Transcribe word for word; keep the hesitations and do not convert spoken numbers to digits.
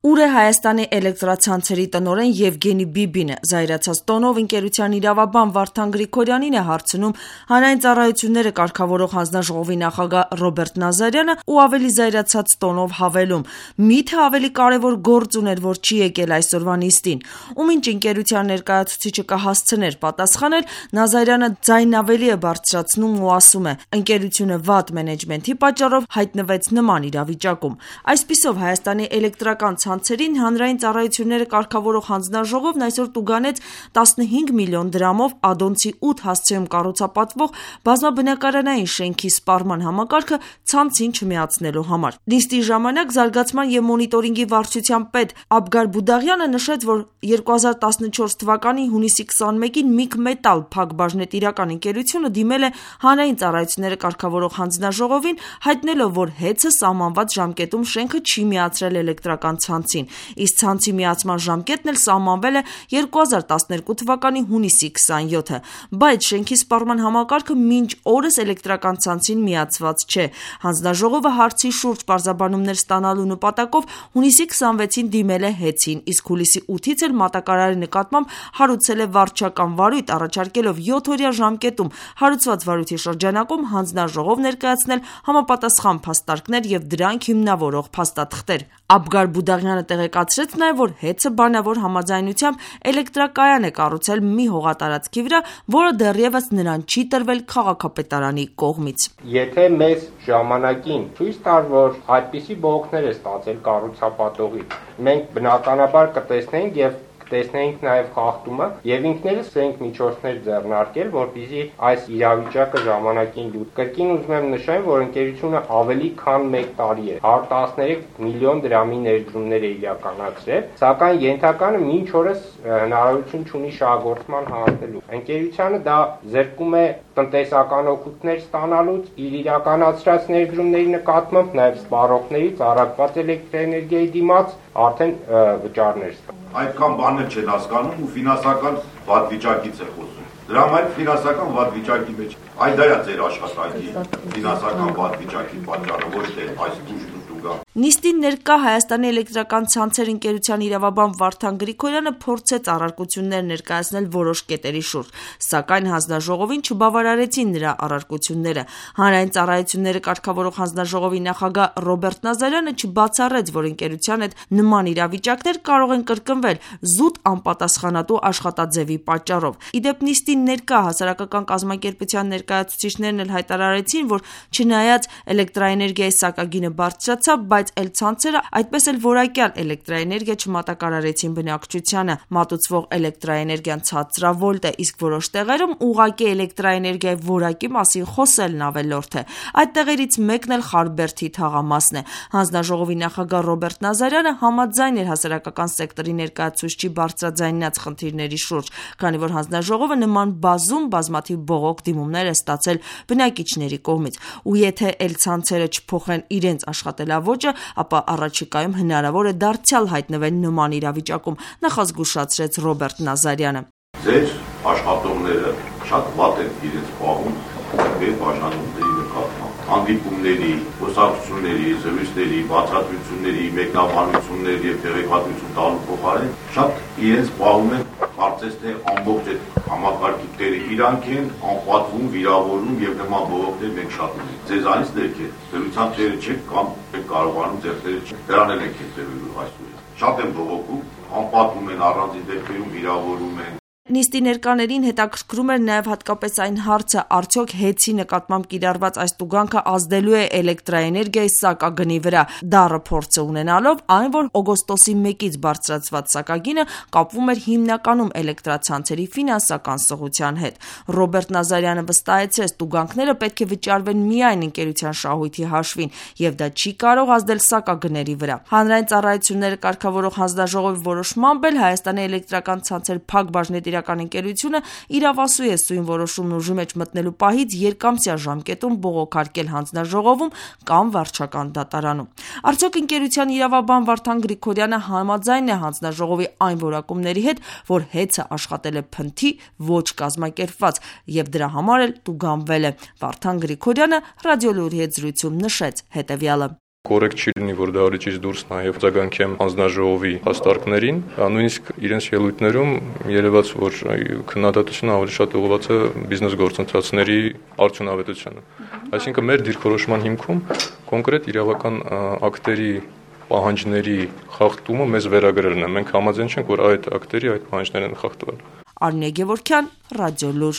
Ուր է Հայաստանի էլեկտրացանցերի տնօրեն Եվգենի Բիբինը, զայրացած տոնով ընկերության իրավաբան Վարդան Գրիգորյանին է հարցնում հանրային ծառայությունները կարգավորող հանձնաժողովի նախագահ Ռոբերտ Նազարյանը ու ավելի զայրացած տոնով հավելում. միթե ավելի կարևոր գործ ուներ, որ չի եկել այսօրվա նիստին, ում ինչ ընկերության ներկայացուցիչը կհասցներ պատասխանել, Նազարյանը ձայնն ավելի է բարձրացնում ու ասում է. ընկերությունը վատ մենեջմենթի պատճառով հայտնվեց նման իրավիճակում։ Այսպիսով Հայաստանի էլեկտրական ցանցերին հանրային ծառայությունները կարգավորող հանձնաժողովն այսօր տուգանեց տասնհինգ միլիոն դրամով Ադոնցի ութ հասցեում կառուցապատվող բազմաբնակարանային շենքի սպառման համակարգը ցանցին չմիացնելու համար։ Նիստի ժամանակ զարգացման և մոնիտորինգի վարչության պետ Աբգար Բուդաղյանը նշեց, որ երկու հազար տասնչորս թվականի հունիսի քսանմեկին Միգմետալ փակբաժնետիրական ընկերությունը դիմել է հանրային ծառայությունները կարգավորող հանձնաժողովին, հայտնելով, որ հեծը սահմանված ժամկետում շենքը չի միացրել էլեկտրական ցանցին, իսկ ցանցի միացման ժամկետն էլ սահմանվել է երկու հազար տասներկու թվականի հունիսի քսանյոթը, բայց շենքի սպառման համակարգը մինչ օրս էլեկտրական ցանցին միացված չէ։ Հանձնաժողովը հարցի շուրջ պարզաբանումներ ստանալու նպատակով հունիսի քսանվեցին դիմել է հեծին, իսկ հուլիսի ութից էլ մատակարարի նկատմամբ հարուցել է վարչական վարույթ, առաջարկելով յոթօրյա ժամկետում հարուցված վարույթի շրջանակում հանձնաժողով ներկայացնել համապատասխան փաստարկներ և դրանք հիմնավորող փաստաթղթեր։ Աբգար Բուդաղյանը տեղեկացրեց նաև, որ հեծը բանավոր համաձայնությամբ էլեկտրակայան է կառուցել մի հողատարածքի վրա, որը դեռևս նրան չի տրվել քաղաքապետարանի կողմից։ Եթե մեզ ժամանակին ցույց տար, որ այդպիսի բողոքներ է ստացել կառուցապատողից, մենք բնականաբար կտեսնենք և տեսնենք նաև խախտումը եւ ինքներս ենք միջոցներ ձեռնարկել, որպեսզի այս իրավիճակը ժամանակին լուծենք։ Կրկին ուզում եմ նշել, որ ընկերությունը ավելի քան մեկ տարի է հարյուր տասներեք միլիոն դրամի ներդրումներ է իրականացրել, սակայն ենթականը մինչ օրս հնարավորություն չունի շահագործման հասնելու։ Ընկերությանը դա զրկում է տնտեսական օգուտներ ստանալուց, իր իրականացրած ներդրումների նկատմամբ, նաև սպառողներից առաքված էլեկտրաէներգիայի դիմաց արդեն վճարներ ստանալ։ Այդքան բաներ չեն հասկանում ու ֆինանսական վատ վիճակից է խոսում։ Դրա համար ֆինանսական վատ վիճակի մեջ այ դա է ձեր աշխատանքի ֆինանսական վատ վիճակի պատճառը, ոչ թե այս դուժն ու դուգա։ Նիստին ներկա Հայաստանի էլեկտրական ցանցեր ընկերության իրավաբան Վարդան Գրիգորյանը փորձեց առարկություններ ներկայացնել որոշ կետերի շուրջ, սակայն հանձնաժողովին չբավարարեցին նրա առարկությունները։ Հանրային ծառայությունները կարգավորող հանձնաժողովի նախագահ Ռոբերտ Նազարյանը չբացառեց, որ ընկերության հետ նման իրավիճակներ կարող են կրկնվել զուտ անպատասխանատու աշխատաձևի պատճառով։ Իդեպ նիստին ներկա հասարակական կազմակերպության ներկայացուցիչներն էլ հայտարարեցին, որ չնայած էլեկտրաէներգիայի սակագինը բարձրացավ, բայց էլ ցանցերը այդպես էլ որակյալ էլեկտրաէներգիա չմատակարարեցին բնակչությանը, մատուցվող էլեկտրաէներգիան ցածրավոլտ է, իսկ որոշ տեղերում ուղղակի էլեկտրաէներգիայի որակի մասին խոսելն ավելորդ է։ Այդ տեղերից մեկն էլ Խարբերդի թաղամասն է։ Հանձնաժողովի նախագահ Ռոբերտ Նազարյանը համաձայն էր հասարակական սեկտորի ներկայացուցչի բարձրաձայնած խնդիրների շուրջ, քանի որ հանձնաժողովը նման բազում բազմաթիվ բողոք դիմումներ է ստացել բնակիչների կողմից։ Ու եթե էլ ցանցերը չփոխեն իրենց աշխատելավոճը, ապա առաջիկայում հնարավոր է դարձյալ հայտնվել նման իրավիճակում, նախազգուշացրեց Ռոբերտ Նազարյանը։ Ձեր աշխատողները շատ վատ են իրենց պահում եւ աշխատողների նկատմամբ։ Հանդիպումների, խոսակցությունների, զրույցների, բացատրությունների, մեկնաբանությունների եւ տեղեկատվություն տալու փոխարեն շատ իրենց պահում են կարծես թե ամբողջ այդ համակարգի տերը իրանք են անպատվում, վիրավորում եւ նման բողոքներ մենք շատ ունենք։ Ձեզանից դեպք է դրության թերը չեք կամ եք կարողանում ձեռքերը չեք։ Դրան էլ եք հետևելու այսօր։ Շատ են բողոքում, անպատվում են առանձին դեպքերում վիրավորում են։ Նիստի ներկաներին հետաքրքրում էր նաև հատկապես այն հարցը, արդյոք հեծի նկատմամբ կիրառված այս տուգանքը ազդելու է էլեկտրաէներգիայի սակագնի վրա, դառը փորձը ունենալով այն, որ օգոստոսի մեկից բարձրացված սակագինը կապվում էր հիմնականում էլեկտրացանցերի ֆինանսական սղության հետ։ Ռոբերտ Նազարյանը վստահեցրեց, տուգանքները պետք է վճարվեն միայն ընկերության շահույթի հաշվին, եւ դա չի կարող ազդել սակագների վրա։ Հանրային ծառայությունները կարգավորող հանձնաժողովի որոշմամբ էլ Հայաստանի էլեկտրական ցանցեր փակբաժնետիրական ընկերությունը իրավասու է սույն որոշումն ուժի մեջ մտնելու պահից երկամսյա ժամկետում բողոքարկել հանձնաժողովում կամ վարչական դատարանում։ Արդյոք ընկերության իրավաբան Վարդան Գրիգորյանը համաձայն է հանձնաժողովի այն որակումների հետ, որ հեծը աշխատել է փնթի, ոչ կազմակերպված, եւ դրա համար էլ տուգանվել է։ Վարդան Գրիգորյանը ռադիոլուրի հետ զրույցում նշեց հետեւյալը. կոռեկտ չի լինի, որ դա արիչից դուրս նաև արձագանքեմ հանձնաժողովի հաստարկներին, նույնիսկ իրենց ելույթներում երևաց, որ քննադատությունը ավելի շատ ուղղված է բիզնես գործընթացների արդյունավետությանը։ Այսինքն մեր դիրքորոշման հիմքում կոնկրետ իրավական ակտերի պահանջների խախտումը մեզ վերագրելն է։ Մենք համաձայն չենք, որ այդ ակտերի այդ պահանջներն են խախտվել։ Արնե Գևորգյան, Ռադիոլուր։